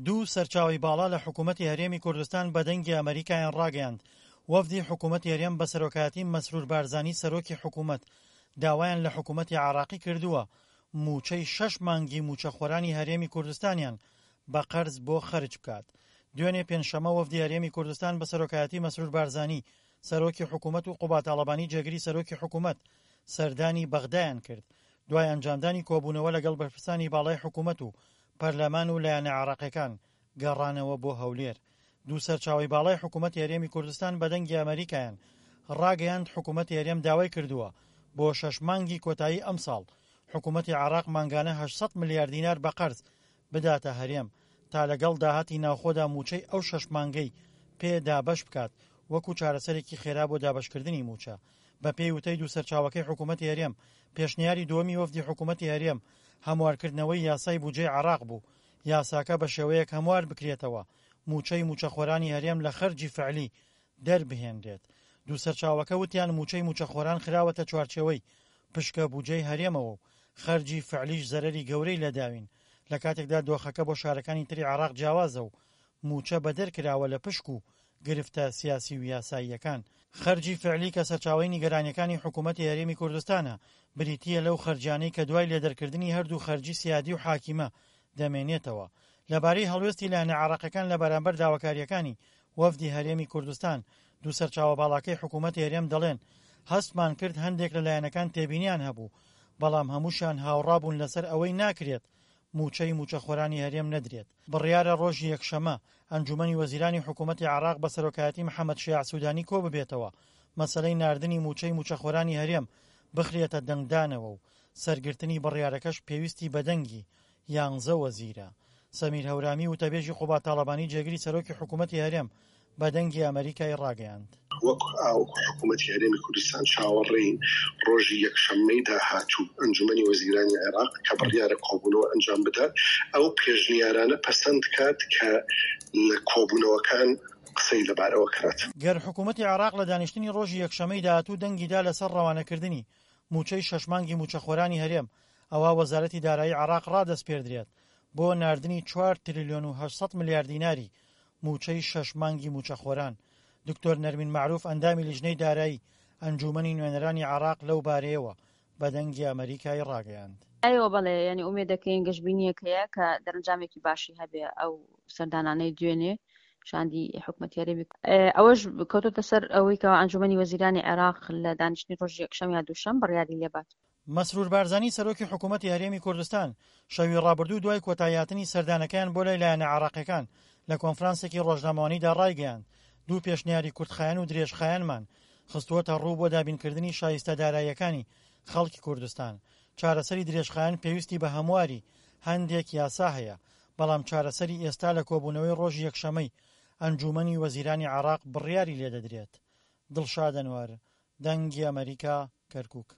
دوو سەرچاوەی باڵا لە حکوومەتی هەرێمی کوردستان بە دەنگی ئەمەریکایان ڕاگەیاند، وەفدی حکوومەتی هەرێم بە سەرۆکایەتی مەسرور بارزانی سەرۆکی حکوومەت داوایان لە حکوومەتی عێراقی کردووە مووچەی شەش مانگی مووچەخۆرانی هەرێمی کوردستانیان بە قەرز بۆ خەرج بکات. دوێنێ پێنجشەممە وەفدی هەرێمی کوردستان بە سەرۆکایەتی مەسرور بارزانی سەرۆکی حکوومەت و قوباد تاڵەبانی جێگری سەرۆکی حکوومەت سەردانی بەغدایان کرد دوای ئەنجامدانی کۆبوونەوە لەگەڵ بەرپرسانی باڵای حکوومەت و پەرلەمان و لایەنە عێراقیەکان گەڕانەوە بۆ هەولێر. دوو سەرچاوەی باڵای حکوومەتی هەرێمی کوردستان بە دەنگی ئەمەریکایان ڕاگەیاند حکوومەتی هەرێم داوای کردووە بۆ شەش مانگی کۆتایی ئەمساڵ حکوومەتی عێراق مانگانە 800 ملیار دینار بە قەرز بداتە هەرێم تا لەگەڵ داهاتی ناوخۆدا مووچەی ئەو شەش مانگەی پێ دابەش بکات وەکو چارەسەرێکی خێرا بۆ دابەشکردنی مووچە. بەپێی وتەی دوو سەرچاوەکەی حکوومەتی هەرێم، پێشنیاری دووەمی وەفدی حکوومەتی هەرێم هەموارکردنەوەی یاسای بودجەی عێراق بوو، یاساکە بە شێوەیەک هەموار بکرێتەوە مووچەی مووچەخۆرانی هەرێم لە خەرجی فعلی دەربهێنرێت. دوو سەرچاوەکە وتیان مووچەی مووچەخۆران خراوەتە چوارچێوەی پشکە بودجەی هەرێمەوە و خەرجی فعلیش زەرەری گەورەی لێداوین، لە کاتێکدا دۆخەکە بۆ شارەکانی تری عێراق جیاوازە و مووچە بەدەر کراوە لە پشک و گرفتە سیاسی و یاساییەکان. خەرجی فعلی کە سەرچاوەی نیگەرانیەکانی حکوومەتی هەرێمی کوردستانە، بریتییە لەو خەرجیانەی کە دوای لێدەرکردنی هەردوو خەرجی سیادی و حاکیمە دەمێنێتەوە. لەبارەی هەڵوێستی لایەنە عێراقیەکان لە بەرامبەر داواکارییەکانی وەفدی هەرێمی کوردستان، دوو سەرچاوە باڵاکەی حکوومەتی هەرێم دەڵێن، هەستمان کرد هەندێک لە لایەنەکان تێبینیان هەبوو، بەڵام هەمووشیان هاوڕابوون لەسەر ئەوەی ناکرێت مووچەی مووچەخۆرانی هەرێم نەدرێت. بڕیارە ڕۆژی یەکشەممە، ئەنجوومەنی وەزیرانی حکوومەتی عێراق بە سەرۆکایەتی محەمەد شیاع سوودانی کۆببێتەوە، مەسەلەی ناردنی مووچەی مووچەخۆرانی هەرێم بخرێتە دەنگدانەوە و سەرگرتنی بڕیارەکەش پێویستی بە دەنگی یانزە وەزیرە. سەمیر هەورامی وتەبێژی قوباد تاڵەبانی جێگری سەرۆکی حکوومەتی هەرێم بە دەنگی ئەمەریکای ڕاگەیاند. وەک حکوومەتی هەرێمی کوردستان چاوەڕێین ڕۆژی یەکشەممەی داهاتوو ئەنجوومەنی وەزیرانی عێراق کە بڕیارە کۆبوونەوە ئەنجام بدات، ئەو پێشنیارانە پەسەند کات کە لە کۆبوونەوەکان قسەی لەبارەوە کرات. گەر حکوومەتی عێراق لە دانیشتنی ڕۆژی یەکشەممەی داهاتوو دەنگی دا لەسەر ڕەوانەکردنی مووچەی شەش مانگی مووچەخۆرانی هەرێم، ئەوا وەزارەتی دارایی عێراق ڕادەسپێردرێت بۆ ناردنی چوار تریلیۆن و 800 ملیار دیناری مووچەی شەش مانگی مووچەخۆران. دکتۆر نەرمین مەعروف ئەندامی لیژنەی دارایی ئەنجوومەنی نوێنەرانی عێراق لەو بارەیەوە بە دەنگی ئەمەریکای ڕاگەیاند. ئەیوە بەڵێ یانی ئومێد دەکەین گەشبینیەک هەیە کە دەرەنجامێکی باشی هەبێ ئەو سەردانانەی دوێنێ شاندی حکومەتی هەرێمی ئەوەش کەوتۆتە سەر ئەوەی کە ئەنجومەنی وەزیرانی عێراق لە دانیشتنی ڕۆژی یەکشەم یا دووشەم بڕیاری لێبات. مەسرور بارزانی سەرۆکی حکوومەتی هەرێمی کوردستان شەوی ڕابردوو دوای کۆتاییهاتنی سەردانەکەیان بۆ لای لایەنە عێراقیەکان لە کۆنفرانسێکی ڕۆژنامەوانیدا ڕایگەیاند دوو پێشنیاری کورتخایەن و درێژخایەنمان خستووەتە ڕوو بۆ دابینکردنی شایستە داراییەکانی خەڵکی کوردستان چارەسەری درێژخایەن پێویستی بە هەمواری هەندێک یاسا هەیە بەڵام چارەسەری ئێستا لە کۆبوونەوەی ڕۆژی یەکشەمەی ئەنجوومەنی وەزیرانی عێراق بڕیاری لێدەدرێت. دڵشاد ئەنوەر، دەنگی ئەمەریکا، کەرکوک.